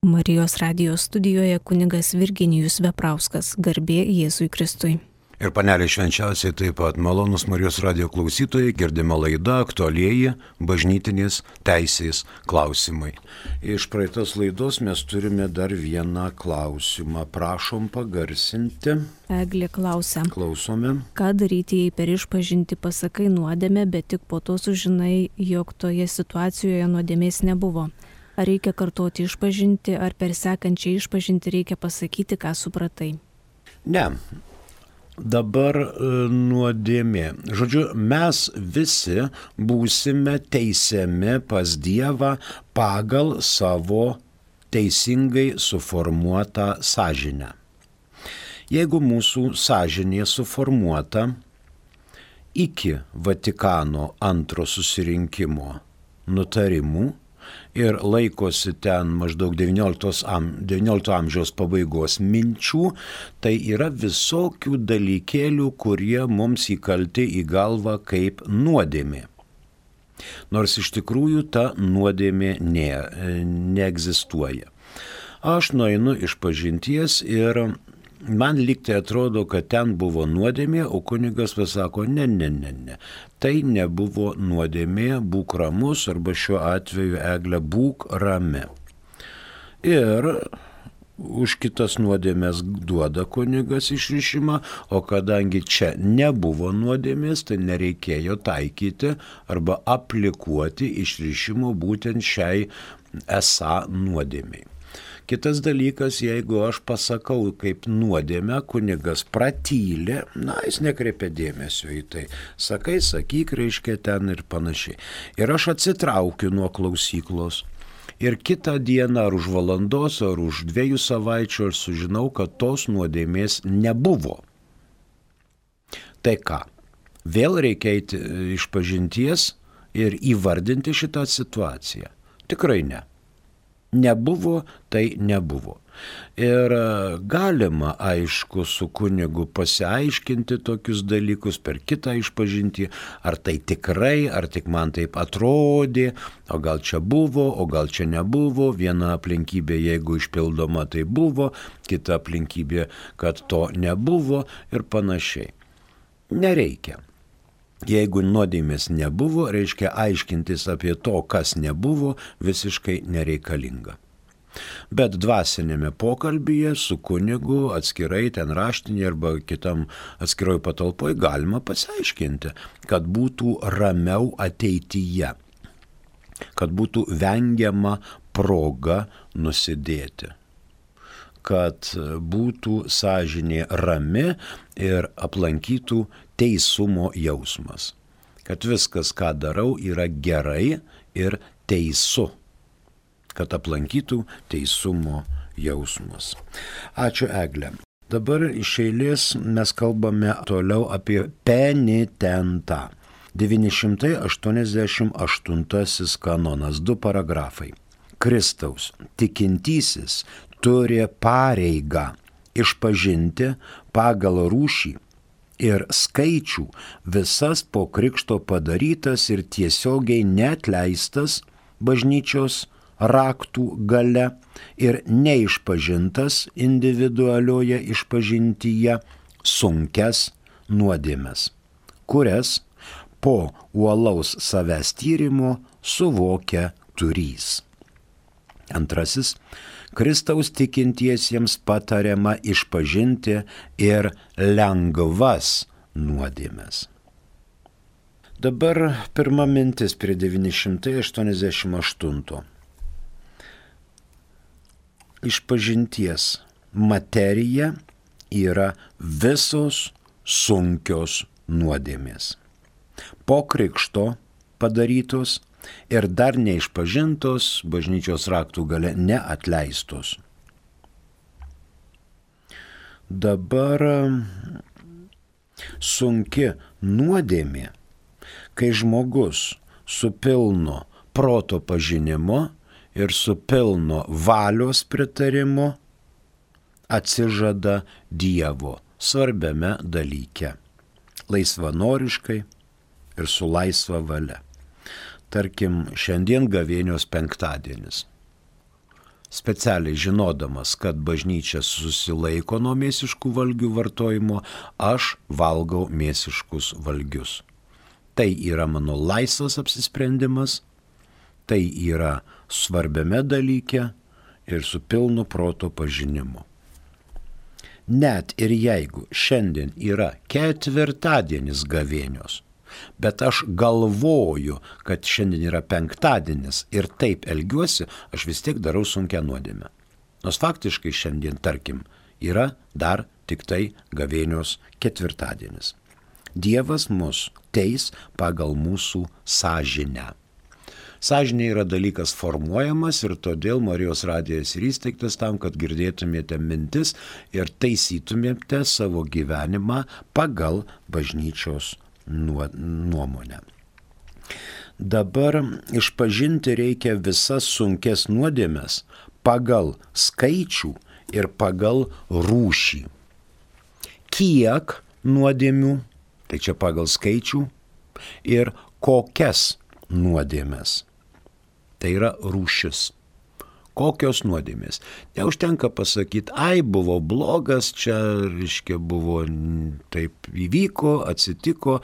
Marijos radijos studijoje kunigas Virginijus Veprauskas, garbė Jėzui Kristui. Ir panelė švenčiausiai taip pat malonus Marijos radijo klausytojai, girdime laidą aktualieji bažnytinės teisės klausimai. Iš praeitos laidos mes turime dar vieną klausimą. Prašom pagarsinti. Eglė klausia. Klausome. Ką daryti, jei per išpažinti pasakai nuodėmę, bet tik po to sužinai, jog toje situacijoje nuodėmės nebuvo? Ar reikia kartoti išpažinti, ar per sekančią išpažinti reikia pasakyti, ką supratai? Ne. Dabar nuodėmė. Žodžiu, mes visi būsime teisiami pas Dievą pagal savo teisingai suformuotą sąžinę. Jeigu mūsų sąžinė suformuota iki Vatikano antro susirinkimo nutarimų ir laikosi ten maždaug XIX amžiaus pabaigos minčių, tai yra visokių dalykėlių, kurie mums įkalti į galvą kaip nuodėmė. Nors iš tikrųjų ta nuodėmė neegzistuoja. Aš nueinu išpažinties ir man lygtai atrodo, kad ten buvo nuodėmė, o kunigas pasako, ne. Tai nebuvo nuodėmė, būk ramus, arba šiuo atveju, Egle, būk rami. Ir už kitas nuodėmės duoda kunigas išrišimą, o kadangi čia nebuvo nuodėmės, tai nereikėjo taikyti arba aplikuoti išrišimo būtent šiai esą nuodėmiai. Kitas dalykas, jeigu aš pasakau kaip nuodėmę, kunigas pratylė, jis nekreipia dėmesio į tai. Sakyk, reiškia ten ir panašiai. Ir aš atsitraukiu nuo klausyklos. Ir kitą dieną, ar už valandos, ar už 2 savaičių, aš sužinau, kad tos nuodėmės nebuvo. Tai ką? Vėl reikia eiti išpažinties ir įvardinti šitą situaciją? Tikrai ne. Nebuvo, tai nebuvo. Ir galima, aišku, su kunigu pasiaiškinti tokius dalykus per kitą išpažintį, ar tai tikrai, ar tik man taip atrodė, o gal čia buvo, o gal čia nebuvo, viena aplinkybė, jeigu išpildoma, tai buvo, kita aplinkybė, kad to nebuvo ir panašiai. Nereikia. Jeigu nuodėmės nebuvo, reiškia aiškintis apie to, kas nebuvo, visiškai nereikalinga. Bet dvasinėme pokalbyje su kunigu atskirai ten raštinėje arba kitam atskiroj patalpoj galima pasiaiškinti, kad būtų ramiau ateityje, kad būtų vengiama proga nusidėti, kad būtų sąžinė rami ir aplankytų teisumo jausmas. Kad viskas, ką darau, yra gerai ir teisu. Kad aplankytų teisumo jausmas. Ačiū, Egle. Dabar iš eilės mes kalbame toliau apie penitentą. 988 kanonas, 2 paragrafai. Kristaus tikintysis turi pareigą išpažinti pagal rūšį ir skaičių visas po krikšto padarytas ir tiesiogiai neatleistas bažnyčios raktų gale ir neišpažintas individualioje išpažintyje sunkias nuodėmes, kurias po uolaus savęs tyrimo suvokia turys. Antrasis, Kristaus tikintiesiems patariama išpažinti ir lengvas nuodėmes. Dabar pirma mintis prie 988. Išpažinties materija yra visos sunkios nuodėmės. Po krikšto padarytos ir dar neišpažintos, bažnyčios raktų gale neatleistos. Dabar sunki nuodėmė, kai žmogus su pilno proto pažinimo ir su pilno valios pritarimo atsižada Dievo svarbiame dalyke, laisvanoriškai ir su laisva valia. Tarkim, šiandien gavėnios penktadienis. specialiai žinodamas, kad bažnyčia susilaiko nuo mėsiškų valgių vartojimo, aš valgau mėsiškus valgius. Tai yra mano laisvas apsisprendimas, tai yra svarbiame dalyke ir su pilnu proto pažinimu. Net ir jeigu šiandien yra ketvirtadienis gavėnios, bet aš galvoju, kad šiandien yra penktadienis ir taip elgiuosi, aš vis tiek darau sunkią nuodėmę. Nors faktiškai šiandien, tarkim, yra dar tik tai gavėnios ketvirtadienis. Dievas mus teis pagal mūsų sąžinę. Sąžinė yra dalykas formuojamas ir todėl Marijos radijas ir įsteigtas tam, kad girdėtumėte mintis ir taisytumėte savo gyvenimą pagal bažnyčios nuomonę. Dabar išpažinti reikia visas sunkes nuodėmes pagal skaičių ir pagal rūšį. Kiek nuodėmių, tai čia pagal skaičių, ir kokias nuodėmes. Tai yra rūšis. Kokios nuodėmės? Neužtenka pasakyti, ai buvo blogas, čia, reiškia, buvo taip įvyko, atsitiko,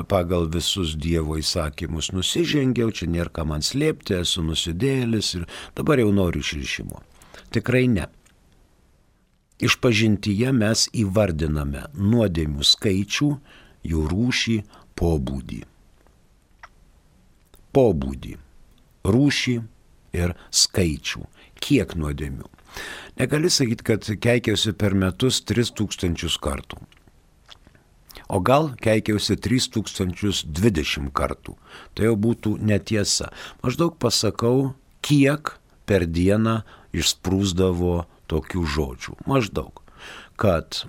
pagal visus Dievo įsakymus nusižengiau, čia nėra ką man slėpti, esu nusidėjėlis ir dabar jau noriu išrišimo. Tikrai ne. Išpažintyje mes įvardiname nuodėmių skaičių, jų rūšį, pobūdį. Pobūdį, rūšį ir skaičių. Kiek nuodėmių? Negali sakyti, kad keikiausi per metus 3000 kartų. O gal keikiausi 3020 kartų. Tai jau būtų netiesa. Maždaug pasakau, kiek per dieną išsprūsdavo tokių žodžių. Maždaug. Kad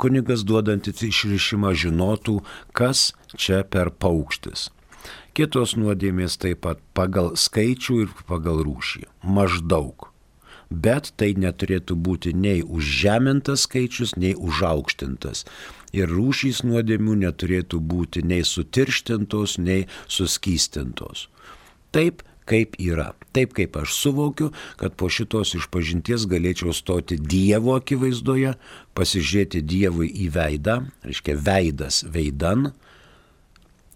kunigas duodantis išrišimą žinotų, kas čia per paukštis. Kitos nuodėmės taip pat pagal skaičių ir pagal rūšį. Maždaug. Bet tai neturėtų būti nei užžemintas skaičius, nei užaukštintas. Ir rūšys nuodėmių neturėtų būti nei sutirštintos, nei suskystintos. Taip, kaip yra. Taip, kaip aš suvokiu, kad po šitos išpažinties galėčiau stoti Dievo akivaizdoje, pasižiūrėti Dievui į veidą, reiškia veidas veidan,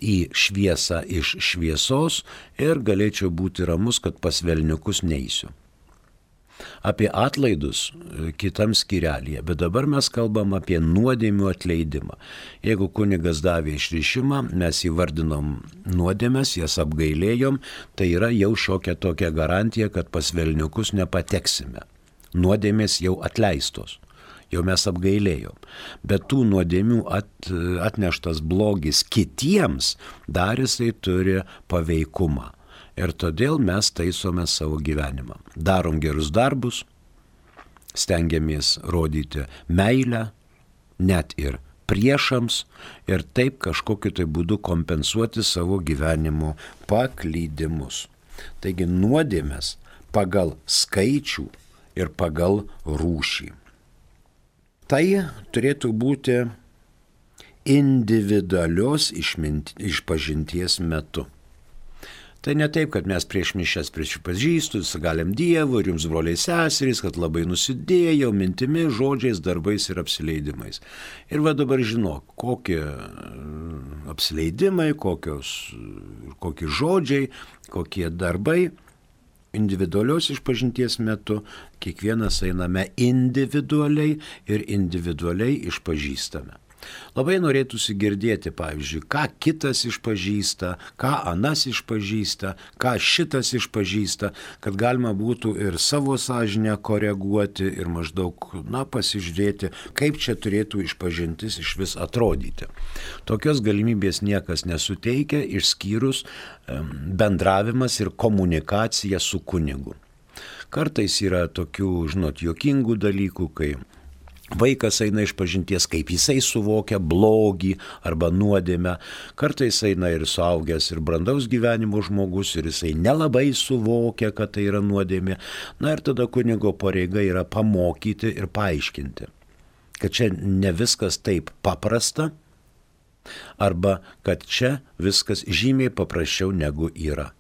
į šviesą iš šviesos ir galėčiau būti ramus, kad pas velniukus neisiu. Apie atlaidus kitam skyrelyje, bet dabar mes kalbam apie nuodėmių atleidimą. Jeigu kunigas davė išrišimą, mes įvardinom nuodėmes, jas apgailėjom, tai yra jau šiokia tokia garantija, kad pas velniukus nepateksime. Nuodėmės jau atleistos. Jau mes apgailėjom. Bet tų nuodėmių atneštas blogis kitiems dar jisai turi paveikumą. Ir todėl mes taisome savo gyvenimą. Darom gerus darbus, stengiamės rodyti meilę, net ir priešams, ir taip kažkokiu tai būdu kompensuoti savo gyvenimo paklydimus. Taigi nuodėmės pagal skaičių ir pagal rūšį. Tai turėtų būti individualios išpažinties metu. Tai ne taip, kad mes prieš mišias prisipažįstu, galim Dievu ir jums broliai seserys, kad labai nusidėjau mintimi, žodžiais, darbais ir apsileidimais. Ir va dabar žinok, kokie apsileidimai, kokie žodžiai, kokie darbai. Individualios išpažinties metu kiekvienas einame individualiai ir individualiai išpažįstame. Labai norėtųsi girdėti, pavyzdžiui, ką kitas išpažįsta, ką anas išpažįsta, ką šitas išpažįsta, kad galima būtų ir savo sąžinę koreguoti ir maždaug, pasižiūrėti, kaip čia turėtų išpažintis iš vis atrodyti. Tokios galimybės niekas nesuteikia, išskyrus bendravimas ir komunikacija su kunigu. Kartais yra tokių, juokingų dalykų, kai vaikas eina išpažinties, kaip jisai suvokia blogį arba nuodėmę. Kartais eina ir suaugęs, ir brandaus gyvenimo žmogus, ir jisai nelabai suvokia, kad tai yra nuodėmė. Ir tada kunigo pareiga yra pamokyti ir paaiškinti, kad čia ne viskas taip paprasta, arba kad čia viskas žymiai paprasčiau negu yra.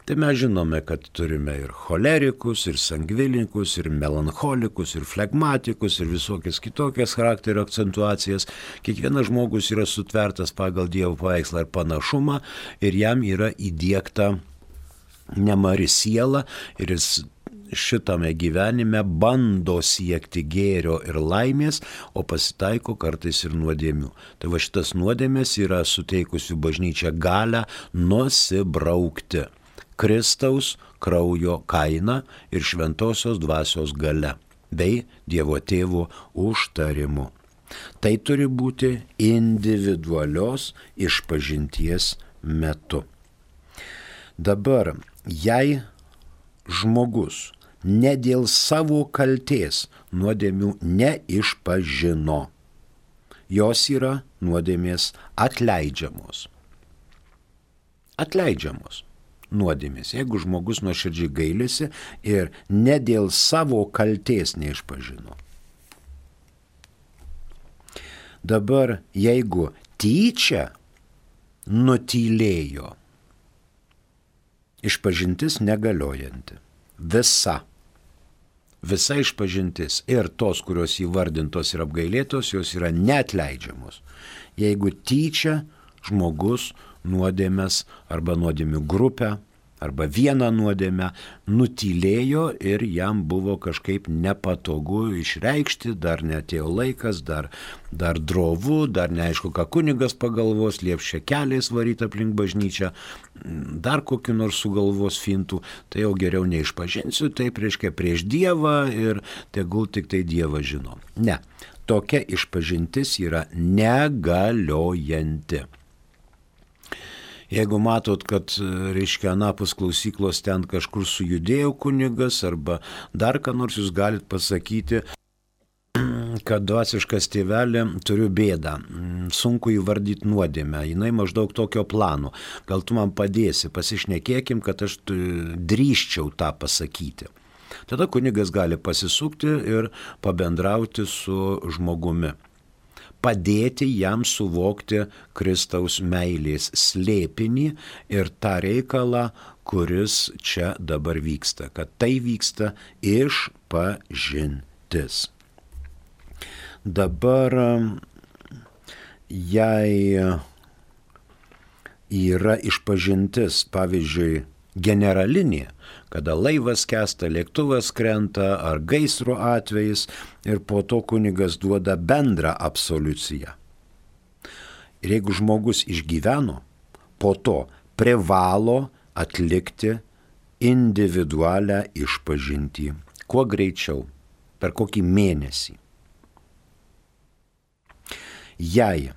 Tai mes žinome, kad turime ir cholerikus, ir sangvilininkus, ir melancholikus, ir flegmatikus, ir visokias kitokias charakterio akcentuacijas. Kiekvienas žmogus yra sutvertas pagal Dievo paveikslą ir panašumą ir jam yra įdiegta nemari siela ir jis šitame gyvenime bando siekti gėrio ir laimės, o pasitaiko kartais ir nuodėmių. Tai va šitas nuodėmės yra suteikusi bažnyčia galią nusibraukti Kristaus kraujo kaina ir šventosios dvasios galia bei Dievo Tėvo užtarimu. Tai turi būti individualios išpažinties metu. Dabar, jei žmogus ne dėl savo kaltės nuodėmių neišpažino, jos yra nuodėmės atleidžiamos. Atleidžiamos nuodėmės, jeigu žmogus nuoširdžiai gailisi ir ne dėl savo kaltės neišpažino. Dabar, jeigu tyčia nutylėjo, išpažintis negaliojanti. Visa išpažintis ir tos, kurios įvardintos ir apgailėtos, jos yra neatleidžiamos. Jeigu tyčia žmogus nuodėmės arba nuodėmių grupę arba vieną nuodėmę nutylėjo ir jam buvo kažkaip nepatogu išreikšti, dar neatėjo laikas, dar drovu, dar neaišku, ką kunigas pagalvos, lieps šekeliais varyti aplink bažnyčią, dar kokiu nors sugalvos fintų, tai jau geriau neišpažinsiu, tai reiškia prieš Dievą ir tegul tik tai Dievas žino. Ne, tokia išpažintis yra negaliojanti. Jeigu matot, kad, reiškia, anapus klausyklos ten kažkur sujudėjo kunigas arba dar ką nors, jūs galit pasakyti, kad dvasiškas tėvelė, turiu bėdą, sunku įvardyti nuodėmę, jinai maždaug tokio plano, gal tu man padėsi, pasišnekėkim, kad aš drįsčiau tą pasakyti. Tada kunigas gali pasisukti ir pabendrauti su žmogumi. Padėti jam suvokti Kristaus meilės slėpinį ir tą reikalą, kuris čia dabar vyksta, kad tai vyksta išpažintis. Dabar, jei yra išpažintis, pavyzdžiui, generalinė, kada laivas skęsta, lėktuvas krenta ar gaisro atvejis ir po to kunigas duoda bendrą absoliuciją. Ir jeigu žmogus išgyveno, po to privalo atlikti individualią išpažintį. Kuo greičiau, per kokį mėnesį. Jei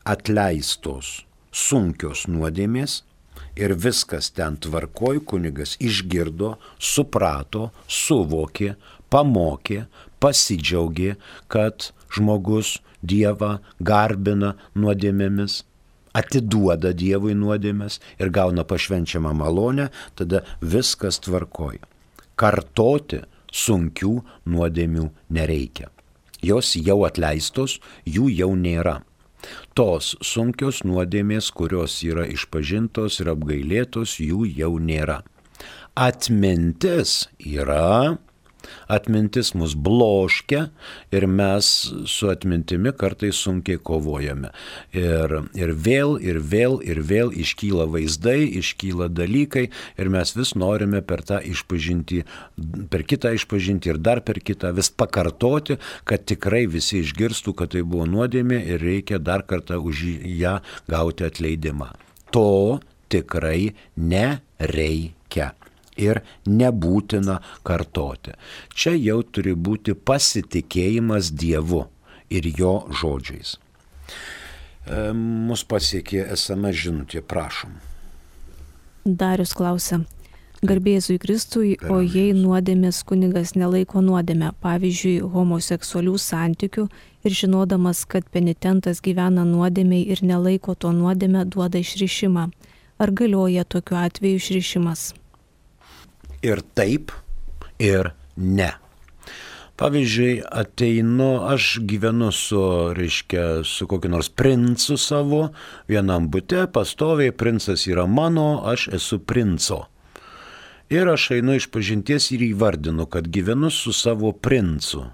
atleistos sunkios nuodėmės, ir viskas ten tvarkoj, kunigas išgirdo, suprato, suvokė, pamokė, pasidžiaugė, kad žmogus Dievą garbina nuodėmėmis, atiduoda Dievui nuodėmės ir gauna pašvenčiamą malonę, tada viskas tvarkoj. Kartoti sunkių nuodėmių nereikia. Jos jau atleistos, jų jau nėra. Tos sunkios nuodėmės, kurios yra išpažintos ir apgailėtos, jų jau nėra. Atmintis yra, atmintis mus bloškia ir mes su atmintimi kartais sunkiai kovojame. Ir vėl iškyla vaizdai, iškyla dalykai ir mes vis norime per tą išpažintį, per kitą išpažintį ir dar per kitą vis pakartoti, kad tikrai visi išgirstų, kad tai buvo nuodėmė ir reikia dar kartą už ją gauti atleidimą. To tikrai nereikia. Ir nebūtina kartoti. Čia jau turi būti pasitikėjimas Dievu ir jo žodžiais. Mus pasiekė SMS žinutė, prašom. Darius klausia, garbė Jėzui Kristui, o jei nuodėmės kunigas nelaiko nuodėmę, pavyzdžiui, homoseksualių santykių ir žinodamas, kad penitentas gyvena nuodėmei ir nelaiko to nuodėmę, duoda išrišimą. Ar galioja tokiu atveju išrišimas? Ir taip, ir ne. Pavyzdžiui, aš gyvenu su kokiu nors princu savo, vienam bute, pastoviai, princas yra mano, aš esu princo. Ir aš einu išpažinties ir įvardinu, kad gyvenu su savo princu.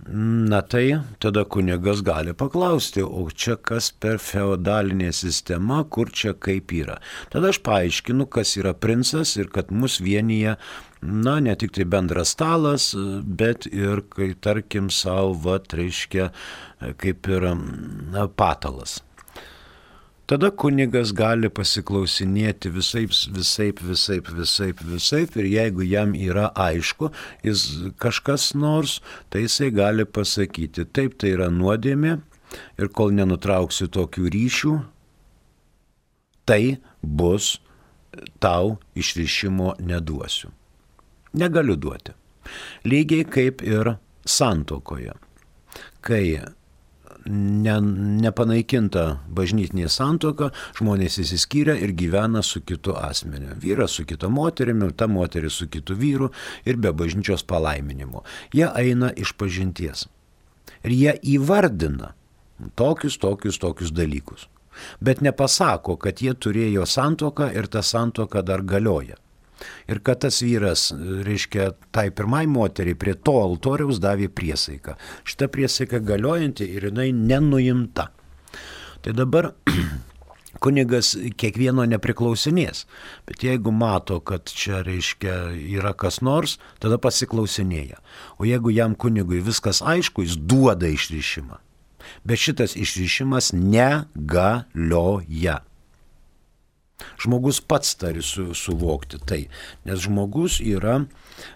Na tai tada kunigas gali paklausti, o čia kas per feodalinė sistema, kur čia kaip yra. Tada aš paaiškinu, kas yra princas ir kad mus vienyje, ne tik tai bendras stalas, bet ir, kai tarkim, savo, kaip ir patalas. Tada kunigas gali pasiklausinėti visaip ir jeigu jam yra aišku, jis kažkas nors, tai jisai gali pasakyti, taip, tai yra nuodėmė ir kol nenutrauksiu tokių ryšių, tai bus tau išrišimo neduosiu. Negaliu duoti. Lygiai kaip ir santuokoje, kai nepanaikinta bažnytinė santuoka, žmonės įsiskyrė ir gyvena su kitu asmeniu. Vyras su kita moterimi, ta moteris su kitu vyru ir be bažnyčios palaiminimo. Jie eina išpažinties. Ir jie įvardina tokius dalykus. Bet nepasako, kad jie turėjo santuoką ir ta santuoka dar galioja. Ir kad tas vyras, tai pirmai moteriai prie to altoriaus davė priesaiką. Šita priesaika galiojanti ir jinai nenuimta. Tai dabar kunigas kiekvieno nepriklausinės. Bet jeigu mato, kad čia yra kas nors, tada pasiklausinėja. O jeigu jam kunigui viskas aišku, jis duoda išrišimą. Bet šitas išrišimas negalioja. Žmogus pats turi suvokti tai, nes žmogus yra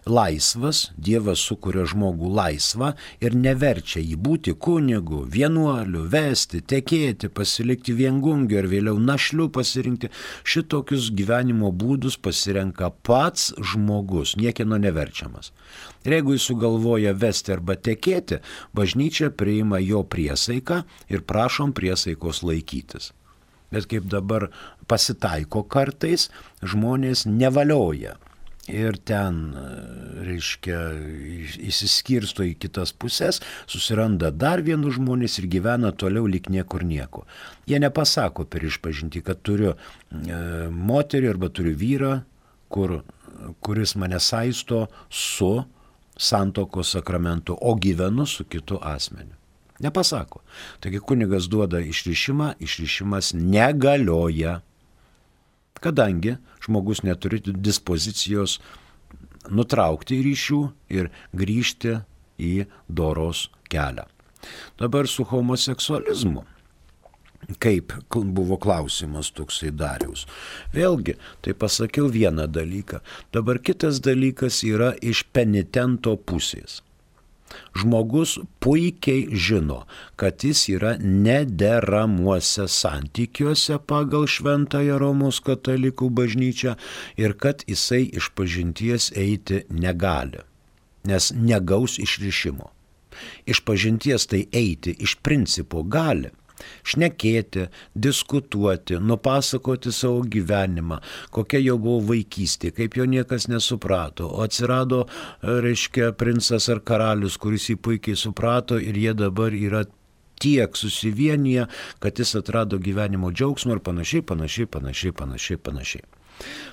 laisvas, Dievas sukuria žmogų laisvą ir neverčia jį būti kunigu, vienuoliu, vesti, tekėti, pasilikti viengungiu ir vėliau našliu pasirinkti. Šitokius gyvenimo būdus pasirenka pats žmogus, niekieno neverčiamas. Ir jeigu jis sugalvoja vesti arba tekėti, bažnyčia priima jo priesaiką ir prašom priesaikos laikytis. Bet kaip dabar pasitaiko kartais, žmonės nevalioja ir ten, įsiskirsto į kitas pusės, susiranda dar vienus žmonės ir gyvena toliau lyg niekur nieko. Jie nepasako per išpažintį, kad turiu moterį arba turiu vyrą, kuris mane saisto su santuokos sakramentu, o gyvenu su kitu asmeniu. Nepasako. Taigi kunigas duoda išrišimą, išrišimas negalioja, kadangi žmogus neturi dispozicijos nutraukti ryšių ir grįžti į doros kelią. Dabar su homoseksualizmu. Kaip buvo klausimas toksai Dariaus. Vėlgi, tai pasakiau vieną dalyką. Dabar kitas dalykas yra iš penitento pusės. Žmogus puikiai žino, kad jis yra nederamuose santykiuose pagal Šventąją Romos katalikų bažnyčią ir kad jisai išpažinties eiti negali, nes negaus išrišimo. Išpažinties tai eiti iš principo gali. Šnekėti, diskutuoti, nupasakoti savo gyvenimą, kokia jo buvo vaikystė, kaip jo niekas nesuprato. O atsirado, princas ar karalius, kuris jį puikiai suprato ir jie dabar yra tiek susivienyje, kad jis atrado gyvenimo džiaugsmą ir panašiai.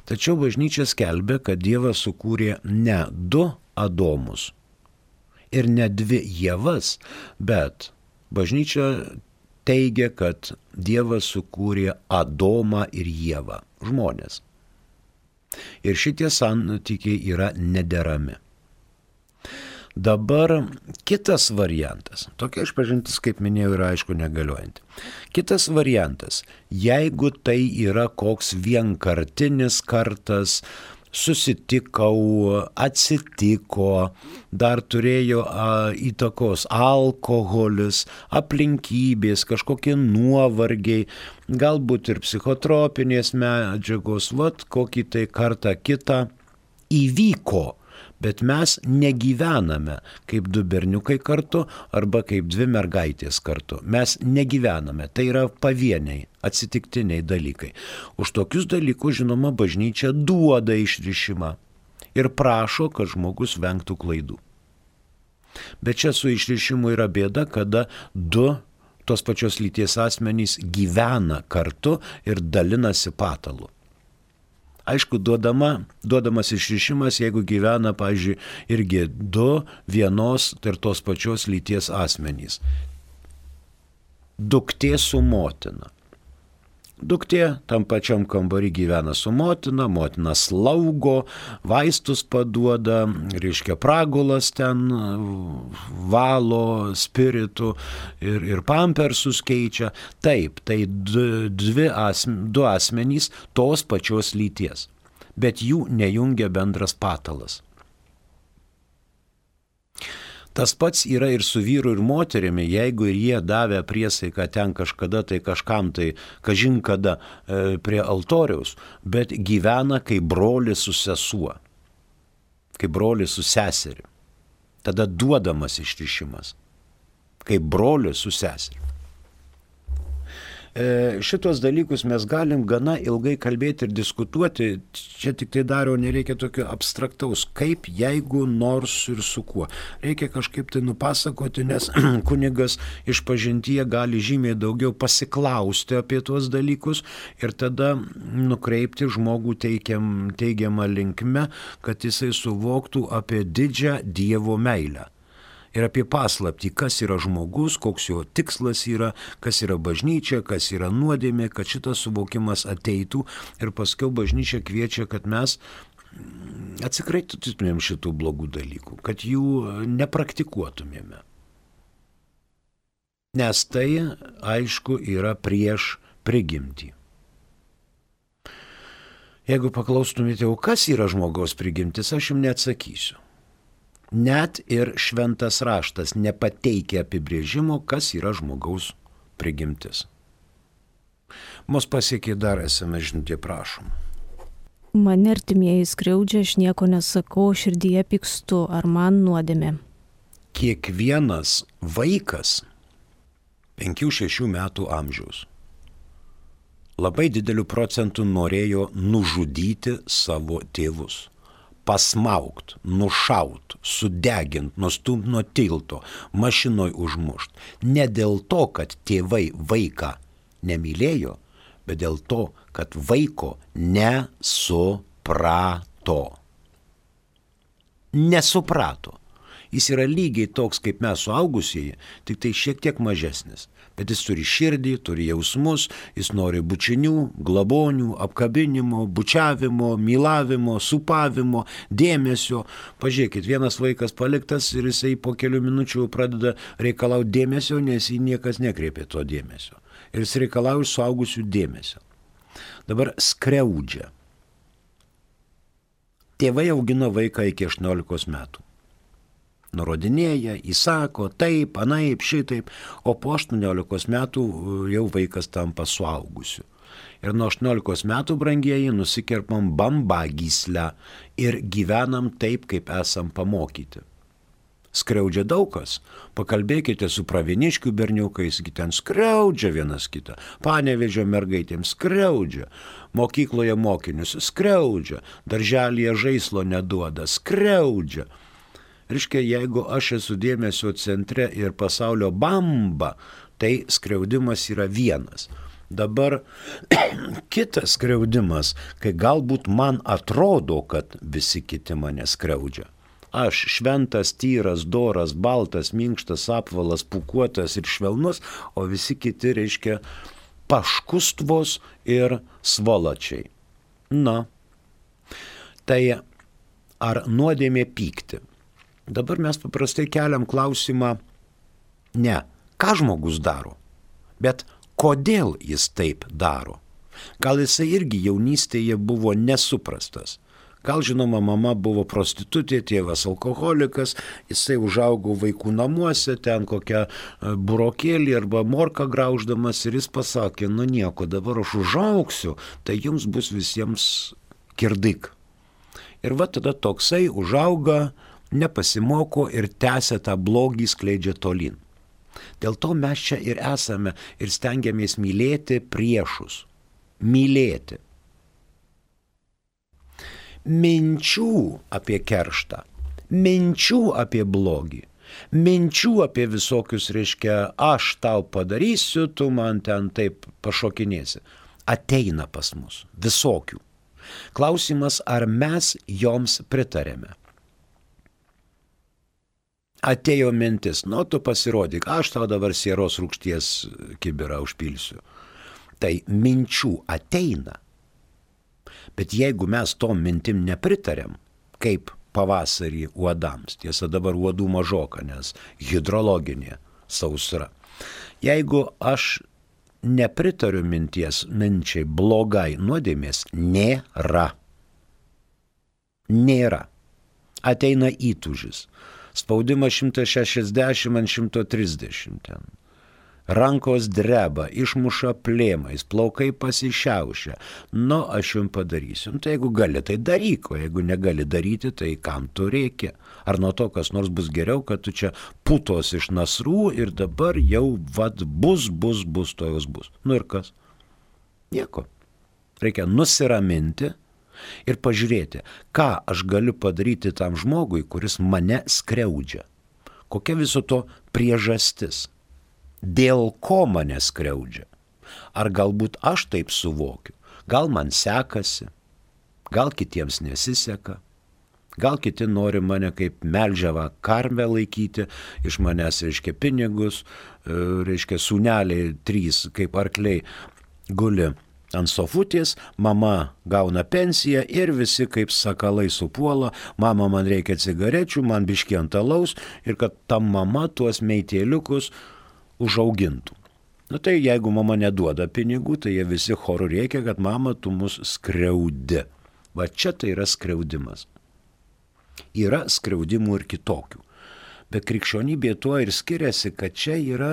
Tačiau bažnyčia skelbia, kad Dievas sukūrė ne 2 Adomus ir ne 2 Ievas, bet bažnyčia teigia, kad Dievas sukūrė Adomą ir Ievą, žmonės. Ir šitie santykiai yra nederami. Dabar kitas variantas, tokia išpažintis, kaip minėjau, yra aišku negaliojanti. Kitas variantas, jeigu tai yra koks vienkartinis kartas, susitikau, atsitiko, dar turėjo įtakos alkoholis, aplinkybės, kažkokie nuovargiai, galbūt ir psichotropinės medžiagos, kokį tai kartą kitą įvyko. Bet mes negyvename kaip 2 berniukai kartu arba kaip 2 mergaitės kartu. Mes negyvename, tai yra pavieniai, atsitiktiniai dalykai. Už tokius dalykus, žinoma, bažnyčia duoda išrišimą. ir prašo, kad žmogus vengtų klaidų. Bet čia su išrišimu yra bėda, kada du tos pačios lyties asmenys gyvena kartu ir dalinasi patalu. Aišku, duodamas išrišimas, jeigu gyvena, pavyzdžiui, irgi du vienos ir tos pačios lyties asmenys. Duktė su motina. Duktė tam pačiam kambarį gyvena su motina, motina slaugo, vaistus paduoda, reiškia pragulas ten valo spiritų ir pampersus keičia. Taip, tai du asmenys tos pačios lyties, bet jų nejungia bendras patalas. Tas pats yra ir su vyru ir moterimi, jeigu ir jie davė priesaiką ten kažkada, tai kažkam tai, kažin kada prie altoriaus, bet gyvena kaip brolis su sesuo, kaip brolis su seseri. Tada duodamas išrišimas, kaip brolis su seseri. Šitos dalykus mes galim gana ilgai kalbėti ir diskutuoti, čia tik tai daro, nereikia tokio abstraktaus, kaip, jeigu, nors ir su kuo. Reikia kažkaip tai nupasakoti, nes kunigas išpažintyje gali žymiai daugiau pasiklausti apie tuos dalykus ir tada nukreipti žmogų teigiamą linkme, kad jisai suvoktų apie didžią Dievo meilę. Ir apie paslaptį, kas yra žmogus, koks jo tikslas yra, kas yra bažnyčia, kas yra nuodėmė, kad šitas suvokimas ateitų ir paskiau bažnyčia kviečia, kad mes atsikratytumėm šitų blogų dalykų, kad jų nepraktikuotumėme. Nes tai, aišku, yra prieš prigimtį. Jeigu paklaustumėte, o kas yra žmogaus prigimtis, aš jums neatsakysiu. Net ir šventas raštas nepateikia apibrėžimo, kas yra žmogaus prigimtis. Mus pasiekė dar esame žinutė, prašom. Mane artimieji skriaudžia, aš nieko nesakau, širdyje pykstu, ar man nuodėmė? Kiekvienas vaikas 5-6 metų amžiaus labai dideliu procentu norėjo nužudyti savo tėvus. Pasmaugt, nušaut, sudegint, nustumt nuo tilto, mašinoj užmušt. Ne dėl to, kad tėvai vaiką nemylėjo, bet dėl to, kad vaiko nesuprato. Nesuprato. Jis yra lygiai toks kaip mes suaugusieji, tik tai šiek tiek mažesnis. Bet jis turi širdį, turi jausmus, jis nori bučinių, glabonių, apkabinimo, bučiavimo, mylavimo, supavimo, dėmesio. Pažiūrėkit, vienas vaikas paliktas ir jisai po kelių minučių pradeda reikalauti dėmesio, nes jį niekas nekreipė to dėmesio. Ir jis reikalauja iš suaugusių dėmesio. Dabar skriaudžia. Tėvai augino vaiką iki 18 metų. Nurodinėja, įsako, taip, anaip, šitaip, o po 18 metų jau vaikas tampa suaugusiu. Ir nuo 18 metų, brangieji, nusikerpam bambagyslę ir gyvenam taip, kaip esam pamokyti. Skriaudžia daug kas. Pakalbėkite su pravieniškių berniukais, ten skriaudžia vienas kitą. Panevėžio mergaitėms skriaudžia. Mokykloje mokinius skriaudžia. Darželyje žaislo neduoda, skriaudžia. Reiškia, jeigu aš esu dėmesio centre ir pasaulio bamba, tai skriaudimas yra vienas. Dabar kitas skriaudimas, kai galbūt man atrodo, kad visi kiti mane skriaudžia. Aš šventas, tyras, doras, baltas, minkštas, apvalas, pūkuotas ir švelnus, o visi kiti, reiškia, paškustvos ir svolačiai. Na, tai ar nuodėmė pykti? Dabar mes paprastai keliam klausimą, ne, ką žmogus daro, bet kodėl jis taip daro. Gal jisai irgi jaunystėje buvo nesuprastas. Gal, žinoma, mama buvo prostitutė, tėvas alkoholikas, jisai užaugo vaikų namuose, ten kokią burokėlį arba morką grauždamas ir jis pasakė, nu nieko, dabar aš užaugsiu, tai jums bus visiems kirdik. Ir va tada toksai užauga, nepasimoko ir tęsia tą blogį, skleidžia tolyn. Dėl to mes čia ir esame ir stengiamės mylėti priešus. Mylėti. minčių apie kerštą, minčių apie blogį, minčių apie visokius, reiškia, aš tau padarysiu, tu man ten taip pašokinėsi, ateina pas mus, visokių. Klausimas, ar mes joms pritarėme. Atėjo mintis, tu pasirodyk, aš tau dabar sieros rūgšties kibirą užpilsiu. Tai minčių ateina. Bet jeigu mes tom mintim nepritarėm, kaip pavasarį uodams, tiesa dabar uodų mažoka, nes hidrologinė sausra. Jeigu aš nepritariu minčiai blogai, nuodėmės nėra. Nėra. Ateina įtūžis. Spaudimas 160 ant 130 ten. Rankos dreba, išmuša plėmais, plaukai pasišiaušia. Aš jums padarysiu. Tai jeigu gali, tai daryk, o jeigu negali daryti, tai kam tu reikia? Ar nuo to kas nors bus geriau, kad tu čia putos iš nasrų ir dabar jau bus, to jos bus. Ir kas? Nieko. Reikia nusiraminti ir pažiūrėti, ką aš galiu padaryti tam žmogui, kuris mane skriaudžia. Kokia viso to priežastis? Dėl ko mane skriaudžia? Ar galbūt aš taip suvokiu? Gal man sekasi? Gal kitiems nesiseka? Gal kiti nori mane kaip melžiavą karvę laikyti, iš manęs, reiškia, pinigus, reiškia, sūneliai 3 kaip arkliai guli ant sofutės, mama gauna pensiją ir visi kaip sakalai supuola, mama man reikia cigarečių, man biškį ant alaus ir kad ta mama tuos meitėliukus užaugintų. Tai jeigu mama neduoda pinigų, tai jie visi choru reikia, kad mama tu mus skriaudi. Va čia tai yra skriaudimas. Yra skriaudimų ir kitokių. Bet krikščionybė tuo ir skiriasi, kad čia yra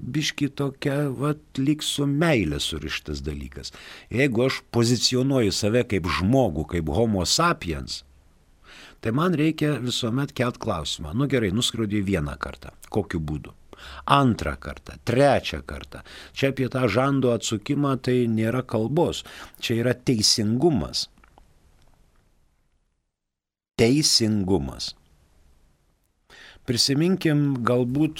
biški tokia, lyg su meilė surištas dalykas. Jeigu aš pozicionuoju save kaip žmogų, kaip homo sapiens, tai man reikia visuomet kelt klausimą. Gerai, nuskriaudė vieną kartą. Kokiu būdu? Antrą kartą, trečią kartą. Čia apie tą žando atsukimą tai nėra kalbos. Čia yra teisingumas. Teisingumas. Prisiminkim galbūt,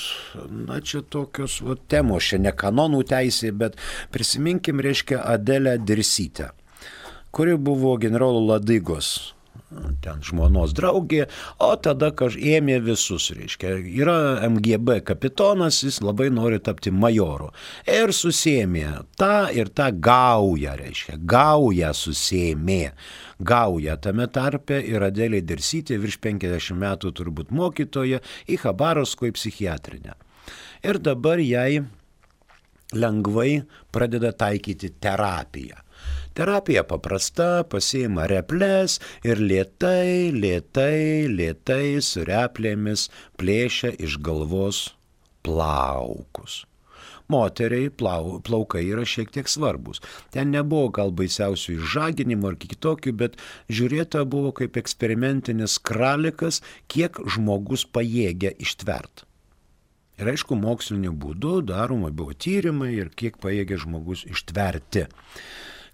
čia tokios temos, čia ne kanonų teisė, bet prisiminkim, reiškia, Adelę Dirsytę, kuri buvo generolo Ladygos ten žmonos draugė, o tada ėmė visus, reiškia, yra MGB kapitonas, jis labai nori tapti majoru. Ir susėmė tą ir tą gaują, reiškia, gaują susėmė. Gauja tame tarpe ir Adelė Dirsytė, virš 50 metų turbūt mokytoja, į Chabarovsko į psichiatrinę. Ir dabar jai lengvai pradeda taikyti terapiją. Terapija paprasta, pasiima replės ir lėtai su replėmis plėšia iš galvos plaukus. Moteriai plaukai yra šiek tiek svarbus. Ten nebuvo gal baisiausių išžaginimų ar kitokių, bet žiūrėta buvo kaip eksperimentinis kralikas, kiek žmogus pajėgia ištvert. Ir aišku, moksliniu būdu daroma buvo tyrimai ir kiek pajėgia žmogus ištverti.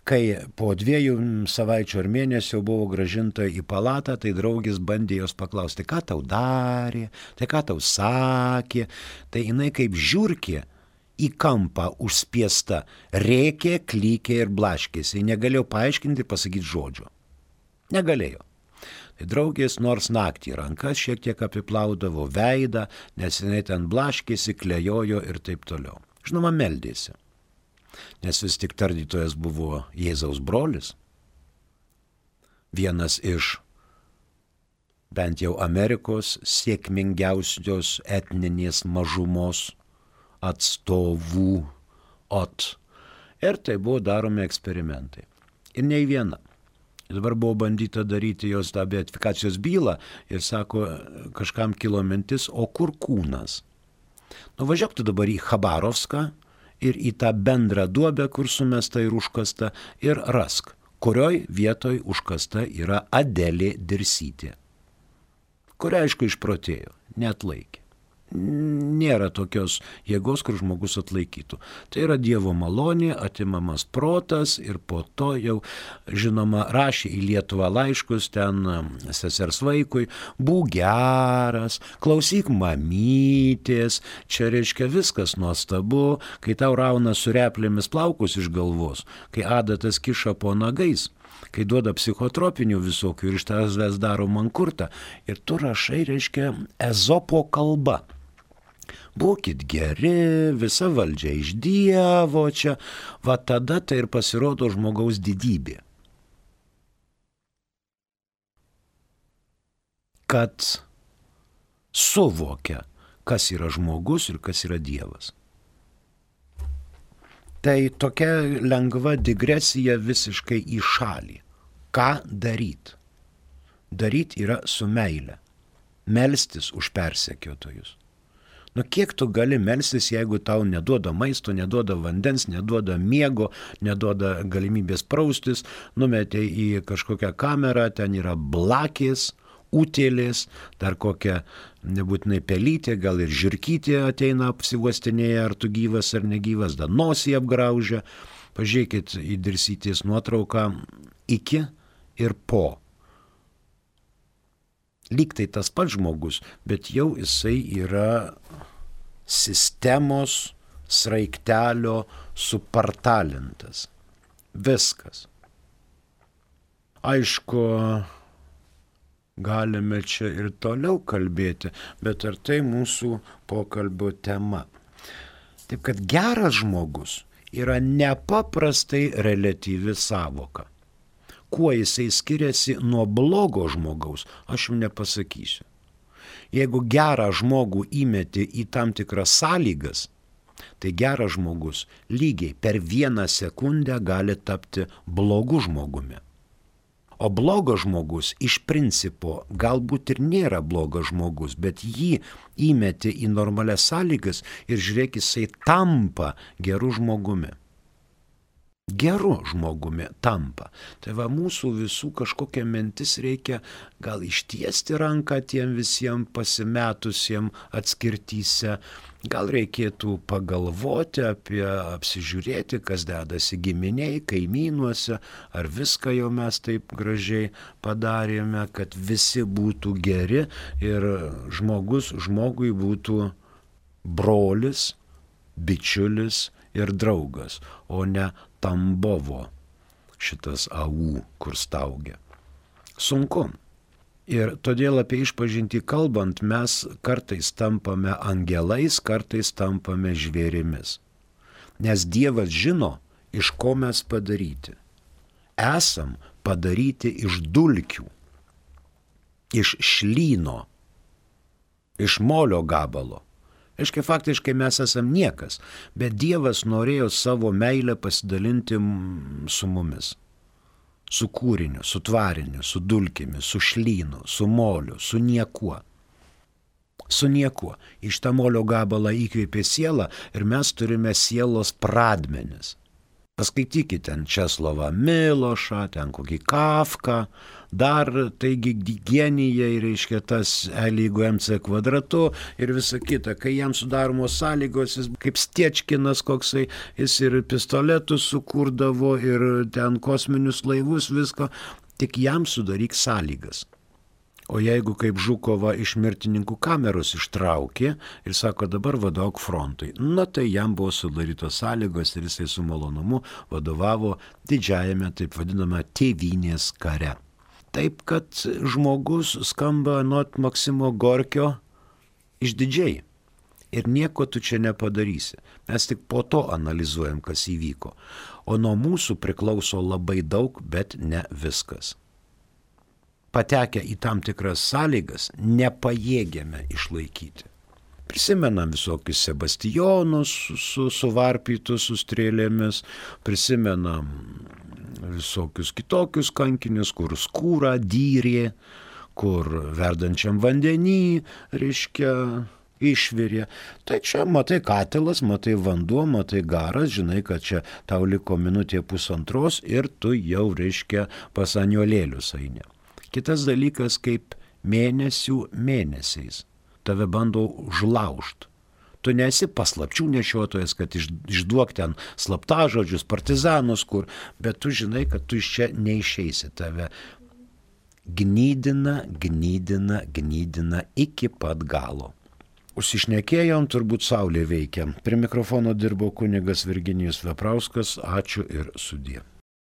Kai po 2 savaičių ar mėnesio buvo grąžinta į palatą, tai draugis bandė jos paklausti, ką tau darė, tai ką tau sakė. Tai jinai kaip žiurkė į kampą užspiesta, rėkė, klykė ir blaškėsi. Ji negalėjo paaiškinti, pasakyti žodžio. Negalėjo. Tai draugės nors naktį rankas šiek tiek apiplaudavo veidą, nes jinai ten blaškėsi, klejojo ir taip toliau. Žinoma, meldėsi. Nes vis tik tardytojas buvo Jėzaus brolis. Vienas iš bent jau Amerikos sėkmingiausios etninės mažumos atstovų. Ir tai buvo daromi eksperimentai. Ir nei viena. Dabar buvo bandyta daryti jos tą beatifikacijos bylą ir sako, kažkam kilo mintis, o kur kūnas? Važiuok tu dabar į Chabarovską ir į tą bendrą duobę, kur sumesta ir užkasta, ir rask, kurioj vietoj užkasta yra Adelė Dirsytė, kuri aišku išprotėjo, neatlaikė. nėra tokios jėgos, kur žmogus atlaikytų. Tai yra Dievo malonė, atimamas protas ir po to jau, žinoma, rašė į Lietuvą laiškus ten sesers vaikui, būk geras, klausyk mamytės, čia reiškia viskas nuostabu, kai tau rauna su replėmis plaukus iš galvos, kai adatas kiša po nagais, kai duoda psichotropinių visokių ir iš tavęs daro mankurtą. Ir tu rašai, reiškia, Ezopo kalba. Būkit geri, visa valdžia iš Dievo čia. Va tada tai ir pasirodo žmogaus didybė. Kad suvokia, kas yra žmogus ir kas yra Dievas. Tai tokia lengva digresija visiškai į šalį. Ką daryt? Daryt yra su meile. Melstis už persekiotojus. Kiek tu gali melstis, jeigu tau neduoda maisto, neduoda vandens, neduoda miego, neduoda galimybės praustis, numetė į kažkokią kamerą, ten yra blakės, utėlės, dar kokia nebūtinai pelytė, gal ir žirkytė ateina apsiuostinėje, ar tu gyvas ar negyvas, dar nosį apgraužia. Pažiūrėkit į Dirsytės nuotrauką iki ir po. Lyg tai tas pats žmogus, bet jau jisai yra sistemos sraigtelio supartalintas. Viskas. Aišku, galime čia ir toliau kalbėti, bet ar tai mūsų pokalbio tema? Taip kad geras žmogus yra nepaprastai reliatyvi sąvoka. Kuo jisai skiriasi nuo blogo žmogaus, aš jums nepasakysiu. Jeigu gerą žmogų įmeti į tam tikras sąlygas, tai geras žmogus lygiai per 1 sekundę gali tapti blogu žmogumi. O blogas žmogus iš principo galbūt ir nėra blogas žmogus, bet jį įmeti į normalias sąlygas ir žiūrėk, jisai tampa geru žmogumi. Geru žmogumi tampa. Tai va, mūsų visų kažkokia mintis reikia gal ištiesti ranką tiem visiems pasimetusiem atskirtyse. Gal reikėtų pagalvoti apsižiūrėti, kas dedasi giminiai, kaimynuose, ar viską jau mes taip gražiai padarėme, kad visi būtų geri ir žmogus žmogui būtų brolis, bičiulis ir draugas, o ne Tambovo šitas AU, kur staugia. Sunku. Ir todėl apie išpažintį kalbant, mes kartais tampame angelais, kartais tampame žvėrimis. Nes Dievas žino, iš ko mes padaryti. Esam padaryti iš dulkių, iš šlyno, iš molio gabalo. Aiškiai, faktiškai mes esam niekas, bet Dievas norėjo savo meilę pasidalinti su mumis. Su kūriniu, su tvariniu, su dulkėmis, su šlynu, su moliu, su niekuo. Su niekuo. Iš tą molio gabalą įkvėpė sielą ir mes turime sielos pradmenis. Paskaitykite ten Česlovą Milošą, ten kokį Kafką, dar taigi genijai, reiškia tas L lygu MC kvadratu ir visa kita. Kai jam sudaromos sąlygos, jis kaip Stiečkinas koksai, jis ir pistoletus sukurdavo ir ten kosminius laivus, visko, tik jam sudaryk sąlygas. O jeigu kaip Žukova iš mirtininkų kameros ištraukė ir sako, dabar vadovauk frontui, tai jam buvo sudarytos sąlygos ir jisai su malonumu vadovavo didžiajame, taip vadiname, tėvynės kare. Taip, kad žmogus skamba nuot Maksimo Gorkio išdidžiai ir nieko tu čia nepadarysi. Mes tik po to analizuojam, kas įvyko. O nuo mūsų priklauso labai daug, bet ne viskas. Patekę į tam tikras sąlygas, nepajėgiame išlaikyti. Prisimenam visokius Sebastijonus suvarpytus su strėlėmis, prisimenam visokius kitokius kankinius, kur skūrą dyrė, kur verdančiam vandenį, reiškia, išvirė. Tai čia matai katilas, matai vanduo, matai garas, žinai, kad čia tau liko minutė pusantros ir tu jau, reiškia, pas aniolėlius eini. Kitas dalykas kaip mėnesių mėnesiais. tave bando užlaužti. Tu nesi paslapčių nešiotojas, kad išduok ten slaptažodžius, partizanus, bet tu žinai, kad tu iš čia neišeisi. Tave gnydina iki pat galo. Užsišnekėjom, turbūt saulė veikia. Prie mikrofono dirbo kunigas Virginijus Veprauskas. Ačiū ir sudie.